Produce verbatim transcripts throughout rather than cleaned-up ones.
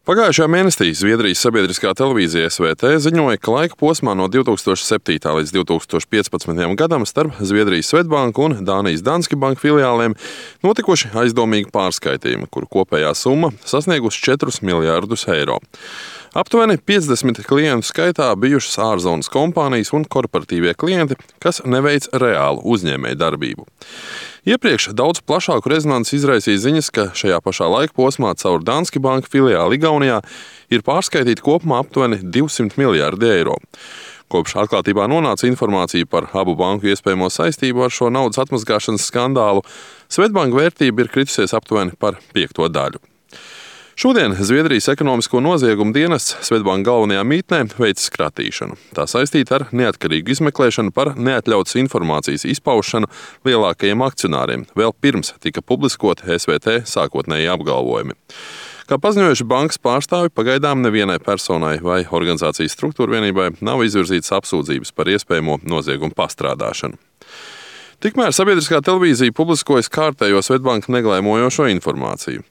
Pagājušajā mēnesī Zviedrijas sabiedriskā televīzija S V T ziņoja, ka laika posmā no divi tūkstoši septītā līdz divi tūkstoši piecpadsmitajam gadam starp Zviedrijas Svedbanku un Dānijas Danske Bank filiālēm notikuši aizdomīgi pārskaitījumi, kuru kopējā summa sasniegusi četrus miljardus eiro. Aptuveni piecdesmit klientu skaitā bijušas ārzonas kompānijas un korporatīvie klienti, kas neveic reālu uzņēmēju darbību. Iepriekš daudz plašāku rezonanci izraisīja ziņas, ka šajā pašā laika posmā caur Danske Bank filiāli Igaunijā ir pārskaitīti kopumā aptuveni divsimt miljardi eiro. Kopš atklātībā nonāca informācija par abu banku iespējamo saistību ar šo naudas atmazgāšanas skandālu, Svedbanka vērtība ir kritusies aptuveni par piekto daļu. Šodien Zviedrijas ekonomisko noziegumu dienests Svedbanka galvenajā mītnē veic skratīšanu. Tā saistīta ar neatkarīgu izmeklēšanu par neatļautas informācijas izpaušanu lielākajiem akcionāriem, vēl pirms tika publiskoti S V T sākotnēji apgalvojumi. Kā paziņojuši bankas pārstāvi, pagaidām nevienai personai vai organizācijas struktūra vienībai nav izvirzītas apsūdzības par iespējamo noziegumu pastrādāšanu. Tikmēr sabiedriskā televīzija publiskojas kārtējo Svedbanka neglēmojošo informāciju.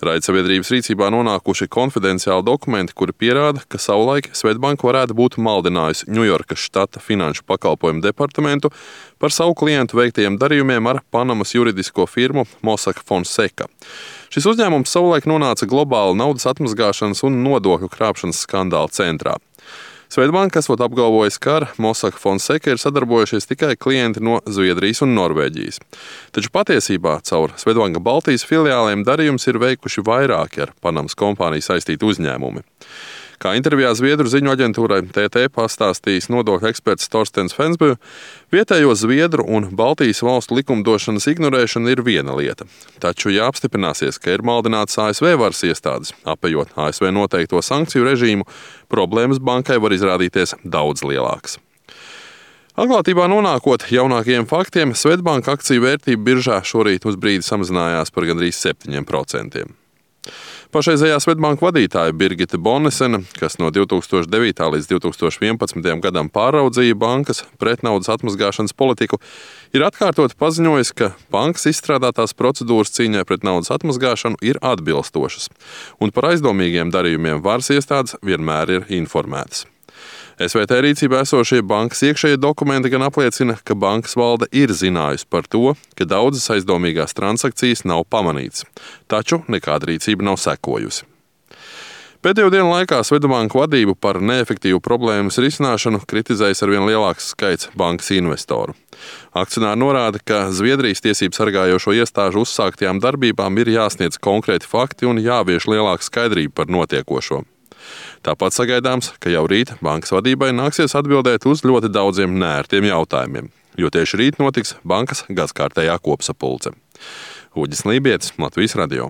Raidsabiedrības rīcībā nonākuši konfidenciāli dokumenti, kuri pierāda, ka savulaik Svedbanka varētu būt maldinājusi Ņujorkas štata finanšu pakalpojumu departamentu par savu klientu veiktajiem darījumiem ar Panamas juridisko firmu Mossack Fonseca. Šis uzņēmums savulaik nonāca globāla naudas atmazgāšanas un nodokļu krāpšanas skandāla centrā. Svedbanka esot apgalvojis, ka ar Mossack Fonseca ir sadarbojušies tikai klienti no Zviedrijas un Norvēģijas. Taču patiesībā caur Svedbanka Baltijas filiālēm darījums ir veikuši vairāki ar Panamas kompāniju saistīti uzņēmumi. Kā intervijā Zviedru ziņu aģentūrai T T pastāstījis nodokļu eksperts Torstens Fensbø, vietējo Zviedru un Baltijas valstu likumdošanas ignorēšana ir viena lieta. Taču, ja apstiprināsies, ka ir maldināts A S V varas iestādes, apejot A S V noteikto sankciju režīmu, problēmas bankai var izrādīties daudz lielākas. Atklātībā nonākot jaunākajiem faktiem, Svedbanka akciju vērtība biržā šorīt uz brīdi samazinājās par gandrīz septiņiem procentiem. Pašreizējā Svedbanka vadītāja Birgita Bonnesena, kas no divi tūkstoši devītā līdz divi tūkstoši vienpadsmitajam gadam pāraudzīja bankas pretnaudas atmazgāšanas politiku, ir atkārtoti paziņojis, ka bankas izstrādātās procedūras cīņai pret naudas atmazgāšanu ir atbilstošas, un par aizdomīgiem darījumiem varas iestādes vienmēr ir informētas. S V T rīcībā esošie bankas iekšējie dokumenti gan apliecina, ka bankas valde ir zinājusi par to, ka daudzas aizdomīgās transakcijas nav pamanītas, taču nekāda rīcība nav sekojusi. Pēdējo dienu laikā Svedbanka vadību par neefektīvu problēmas risināšanu kritizējis arvien lielāks skaits bankas investoru. Akcionāri norāda, ka Zviedrijas tiesību sargājošo iestāžu uzsāktajām darbībām ir jāsniedz konkrēti fakti un jāvieš lielāka skaidrība par notiekošo. Tāpat sagaidāms, ka jau rīt bankas vadībai nāksies atbildēt uz ļoti daudziem neērtiem jautājumiem, jo tieši rīt notiks bankas gadskārtējā kopsapulce. Uģis Lībietis, Latvijas radio.